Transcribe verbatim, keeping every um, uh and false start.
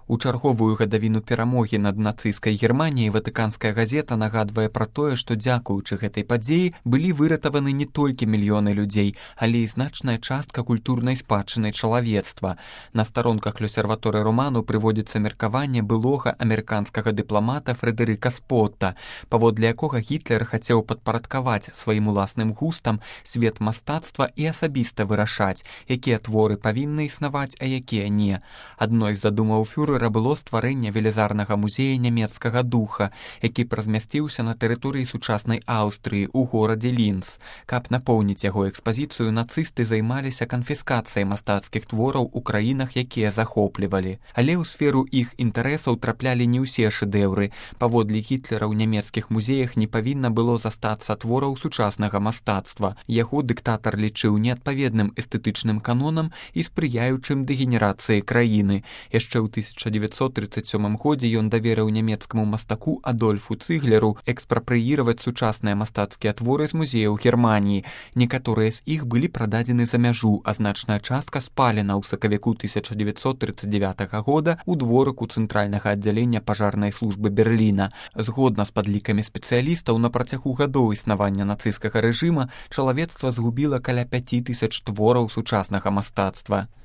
У чарговую гадавіну перамогі над нацысцкай Германіяй ватыканская газета нагадвае пра тое, што дзякуючы гэтай падзеі былі выратаваны не толькі мільёны людзей, але і значная частка культурнай спадчыны чалавецтва. На старонках Лёсерваторы роману прыводзіцца меркаванне былога амерыканскага дыпламата Фрэдэрыка Спотта, паводле якога Гітлер хацеў падпарадкаваць сваім уласным густам свет мастацтва і асабіста вырашаць, якія творы павінны існаваць, а якія не. Адной з задумаў фюрэра было стварэнне велізарнага музея нямецкага духа, які размясціўся на тэрыторыі сучаснай Аўстрыі ў горадзе Лінц. Каб напоўніць яго экспазіцыю, нацысты займаліся канфіскацыяй мастацкіх твораў у краінах, якія захоплівалі. Але ў сферу іх інтарэсаў траплялі не ўсе шэдэўры. Паводле Гітлера ў нямецкіх музеях не павінна было застацца твораў сучаснага мастацтва. Яго дыктатар лічыў неадпаведным эстэтычным канонам і спрыяючым дэгенерацыі краіны. Яшчэ ў тысяча дзевяцьсот трыццаць сёмым годзе ён даверыў нямецкаму мастаку Адольфу Цыглеру экспрапрыіраваць сучасныя мастацкія творы з музеяў Германіі. Некаторыя з іх былі прададзены за мяжу, а значная частка спалена ў сакавіку тысяча дзевяцьсот трыццаць дзявятага года ў дворыку цэнтральнага аддзялення пажарнай службы Берліна. Згодна з падлікамі спецыялістаў, на працягу гадоў існавання нацысцкага рэжыма чалавецтва згубіла каля пяці тысяч твораў сучаснага мастацтва.